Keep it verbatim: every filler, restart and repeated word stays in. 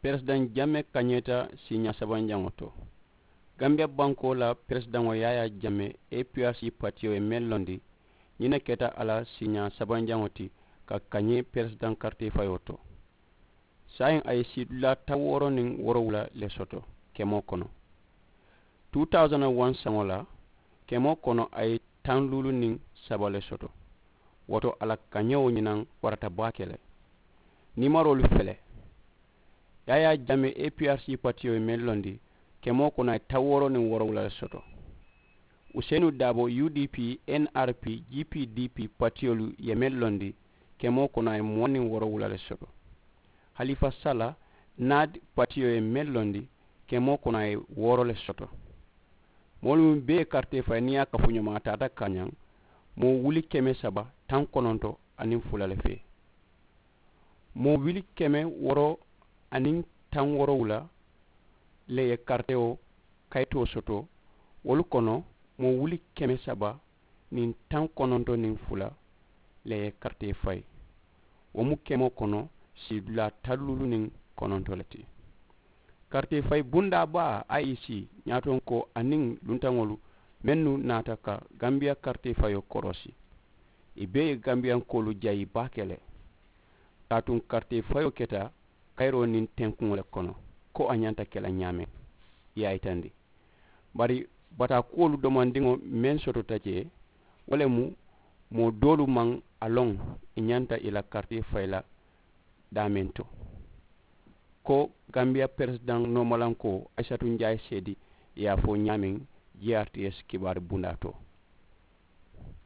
Peresidaŋ jamme kañeeta siiñaa sabanjaŋo to. Gambiya bankoo la peresidaŋo yaayaa jamme, aprc patiyo ye meŋ londi, ñiŋ ne keta a la siiñaa sabanjaŋo ti ka kañee peresidaŋ karitee fayoo to. Saayiŋ a ye siidulaa taŋ wooro niŋ woorowula le soto kemoo kono. Two thousand one saŋo la, kemoo kono a ye taŋ luulu niŋ saba le soto. Wo to a la kañewo ñinaŋ warata baake le. Niimaroolu fele. Yaayaa jamme, aprc patiyo ye meŋ londi, kemoo kono a ye taŋ wooro niŋ woorowula le soto. Useenu daabo, udp, nrp, gpdp patiyolu ye meŋ londi, kemoo kono a ye muwaŋ niŋ woorowula le soto. Halifa sala, naad patiyo ye meŋ londi, kemoo kono a ye wooro le soto. Moolu meŋ bee ye karitee fayi niŋ i ye a kafuñomaa taata kañaŋ, moo wuli keme saba taŋ kononto aniŋ fula le fee. Moo wuli keme wooro aniŋ taŋ woorowula le ye karitewo kayitoo soto. Wolu kono, moo wuli keme saba niŋ taŋ kononto niŋ fula le ye karitee fayi. Wo mu kemoo kono siidulaa taŋ luulu niŋ kononto le ti. Karitee fayi bundaa baa, iec, ñaatonkoo aniŋ luntaŋolu mennu naata ka gambiya karitee fayoo koroosi, i bee ye gambiyankoolu jayi baake le. Kaatuŋ karitee fayoo keta kayiroo niŋ tenkuŋo le kono, ko a ñanta ke la ñaameŋ, i ye a yitandi. Bari bataakuwolu domandiŋo meŋ sotota jee, wo le mu moo doolu maŋ a loŋ i ñanta i la karitee fayi la daameŋ to. Ko gambiya peresidaŋ noomalankoo aysatu njaayi seedi, i ye a fo ñaameŋ, grts kibaaru bundaa to.